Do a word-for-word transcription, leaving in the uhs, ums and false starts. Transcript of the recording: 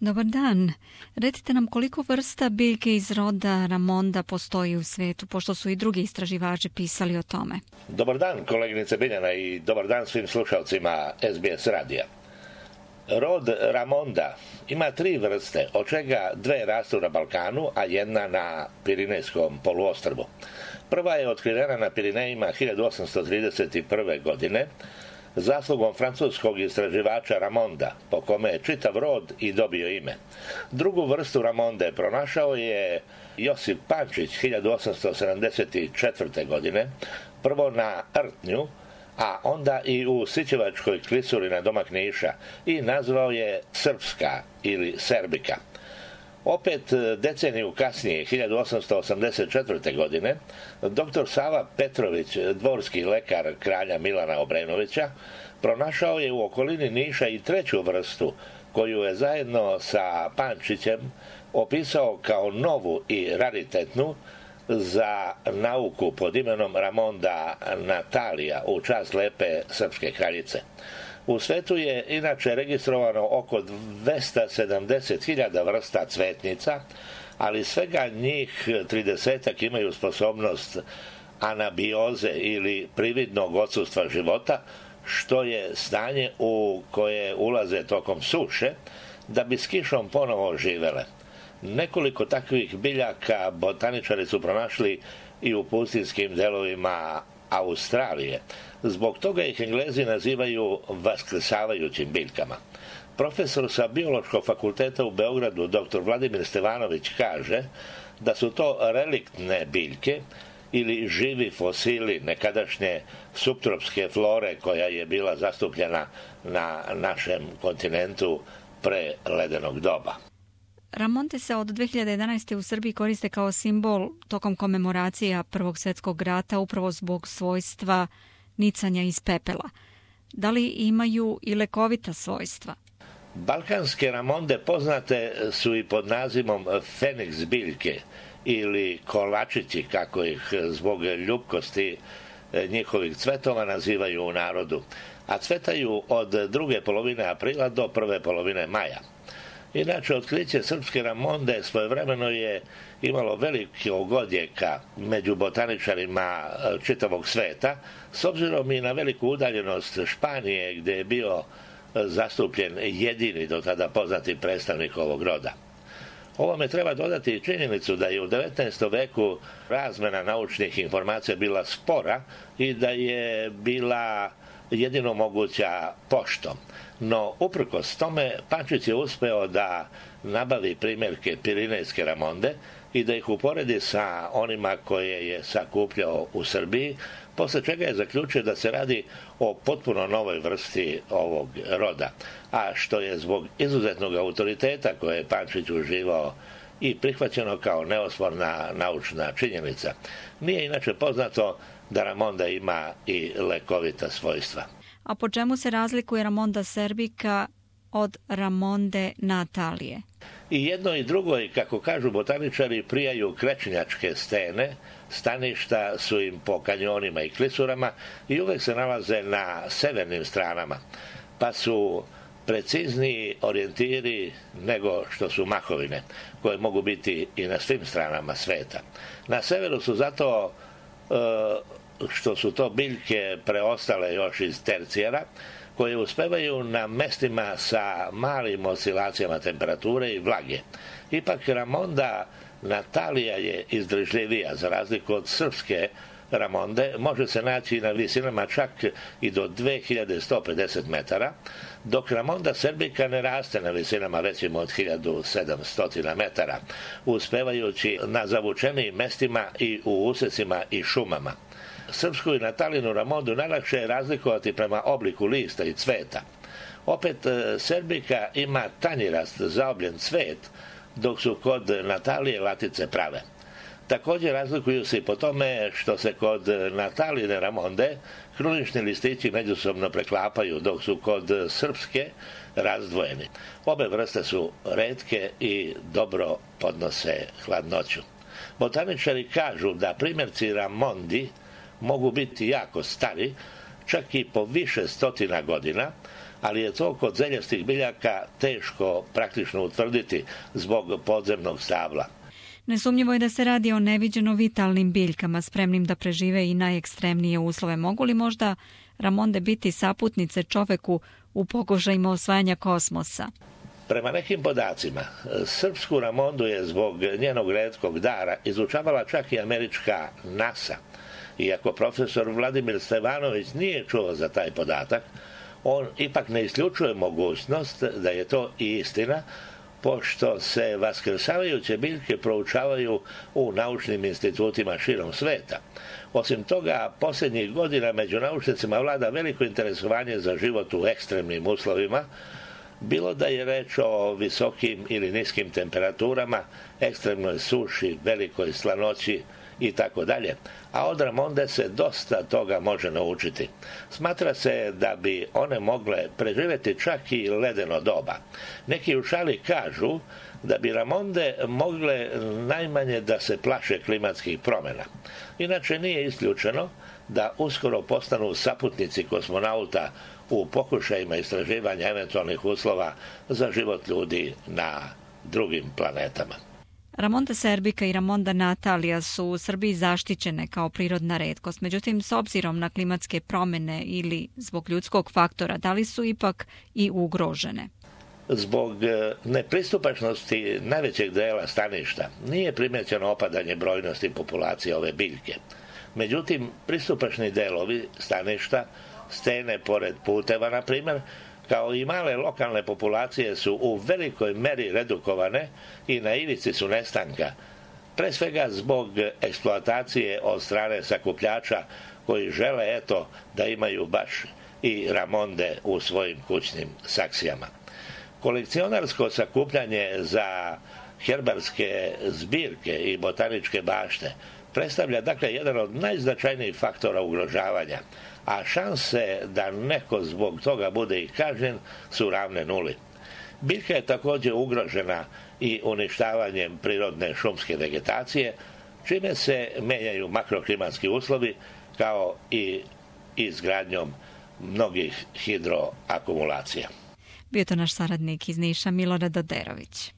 Dobar dan. Recite nam koliko vrsta biljke iz roda Ramonda postoji u svetu, pošto su i drugi istraživači pisali o tome. Dobar dan, koleginice Biljana, i dobar dan svim slušalcima S B S radija. Rod Ramonda ima tri vrste, od čega dve rastu na Balkanu, a jedna na Pirinejskom poluostrvu. Prva je otkrivena na Pirinejima hiljadu osamsto trideset prve. godine, zaslugom francuskog istraživača Ramonda, po kome je čitav rod i dobio ime. Drugu vrstu Ramonde pronašao je Josip Pančić hiljadu osamsto sedamdeset četvrte. godine, prvo na Rtnju, a onda i u Sićevačkoj klisuri na domak Niša, i nazvao je Srpska ili Serbika. Opet deceniju kasnije, hiljadu osamsto osamdeset četvrte. godine, doktor Sava Petrović, dvorski lekar kralja Milana Obrenovića, pronašao je u okolini Niša i treću vrstu, koju je zajedno sa Pančićem opisao kao novu i raritetnu za nauku pod imenom Ramonda Natalija u čast lepe srpske kraljice. U svetu je inače registrovano oko dvesta sedamdeset hiljada vrsta cvetnica, ali svega njih tridesetak imaju sposobnost anabioze ili prividnog odsustva života, što je stanje u koje ulaze tokom suše, da bi s kišom ponovo živele. Nekoliko takvih biljaka botaničari su pronašli i u pustinjskim delovima Australije. Zbog toga ih Englezi nazivaju vaskrsavajućim biljkama. Profesor sa Biološkog fakulteta u Beogradu, doktor Vladimir Stevanović, kaže da su to reliktne biljke ili živi fosili nekadašnje suptropske flore koja je bila zastupljena na našem kontinentu pre ledenog doba. Ramonde se od dve hiljade jedanaeste. u Srbiji koriste kao simbol tokom komemoracija Prvog svjetskog rata upravo zbog svojstva nicanja iz pepela. Da li imaju i lekovita svojstva? Balkanske Ramonde poznate su i pod nazivom Feniks biljke ili kolačići, kako ih zbog ljupkosti njihovih cvetova nazivaju u narodu, a cvetaju od druge polovine aprila do prve polovine maja. Inače, otkriće srpske Ramonde svojevremeno je imalo velikog odjeka među botaničarima čitavog sveta, s obzirom i na veliku udaljenost Španije, gdje je bio zastupljen jedini do tada poznati predstavnik ovog roda. Ovome treba dodati i činjenicu da je u devetnaestom veku razmena naučnih informacija bila spora i da je bila jedino moguća poštom. No, uprkos tome, Pančić je uspeo da nabavi primjerke Pirinejske Ramonde i da ih uporedi sa onima koje je sakupljao u Srbiji, posle čega je zaključio da se radi o potpuno novoj vrsti ovog roda, a što je zbog izuzetnog autoriteta koje je Pančić uživao i prihvaćeno kao neosporna naučna činjenica. Nije inače poznato da Ramonda ima i lekovita svojstva. A po čemu se razlikuje Ramonda serbika od Ramonde Natalije? I jedno i drugo, i kako kažu botaničari, prijaju krečnjačke stene, staništa su im po kanjonima i klisurama i uvek se nalaze na severnim stranama, pa su precizniji orijentiri nego što su mahovine, koje mogu biti i na svim stranama sveta. Na severu su zato e, što su to biljke preostale još iz tercijera, koje uspevaju na mestima sa malim oscilacijama temperature i vlage. Ipak Ramonda Natalija je izdržljivija, za razliku od srpske Ramonde, može se naći na visinama čak i do dve hiljade sto pedeset metara, dok Ramonda serbika ne raste na visinama većim od hiljadu sedamsto metara, uspevajući na zavučenijim mestima i u usecima i šumama. Srpsku i Natalinu Ramondu najlakše je razlikovati prema obliku lista i cveta. Opet, serbika ima tanjirast, zaobljen cvet, dok su kod Natalije latice prave. Također razlikuju se i po tome što se kod Nataline Ramonde krunični listići međusobno preklapaju, dok su kod srpske razdvojeni. Obe vrste su retke i dobro podnose hladnoću. Botaničari kažu da primjerci Ramondi mogu biti jako stari, čak i po više stotina godina, ali je to kod zeljastih biljaka teško praktično utvrditi zbog podzemnog stabla. Nesumnjivo je da se radi o neviđeno vitalnim biljkama, spremnim da prežive i najekstremnije uslove. Mogu li možda ramonde biti saputnice čoveku u pokušajima osvajanja kosmosa? Prema nekim podacima, srpsku ramondu je zbog njenog retkog dara izučavala čak i američka NASA. Iako profesor Vladimir Stevanović nije čuo za taj podatak, on ipak ne isključuje mogućnost da je to i istina, pošto se vaskrsavajuće biljke proučavaju u naučnim institutima širom sveta. Osim toga, posljednjih godina među naučnicima vlada veliko interesovanje za život u ekstremnim uslovima, bilo da je reč o visokim ili niskim temperaturama, ekstremnoj suši, velikoj slanoći i tako dalje, a od ramonde se dosta toga može naučiti. Smatra se da bi one mogle preživjeti čak i ledeno doba. Neki u šali kažu da bi ramonde mogle najmanje da se plaše klimatskih promjena. Inače nije isključeno da uskoro postanu saputnici kosmonauta u pokušajima istraživanja eventualnih uslova za život ljudi na drugim planetama. Ramonda serbika i Ramonda natalia su u Srbiji zaštićene kao prirodna retkost. Međutim, s obzirom na klimatske promjene ili zbog ljudskog faktora, da li su ipak i ugrožene? Zbog nepristupačnosti najvećeg dela staništa nije primjećeno opadanje brojnosti populacije ove biljke. Međutim, pristupačni delovi staništa, stene pored puteva, na primjer, kao i male lokalne populacije su u velikoj meri redukovane i na ivici su nestanka, pre svega zbog eksploatacije od strane sakupljača koji žele eto da imaju baš i ramonde u svojim kućnim saksijama. Kolekcionarsko sakupljanje za herbarske zbirke i botaničke bašte predstavlja dakle jedan od najznačajnijih faktora ugrožavanja, a šanse da neko zbog toga bude i kažnjen su ravne nuli. Biljka je također ugrožena i uništavanjem prirodne šumske vegetacije, čime se menjaju makroklimatski uslovi kao i izgradnjom mnogih hidroakumulacija. Bio to naš saradnik iz Niša, Milorad Oderović.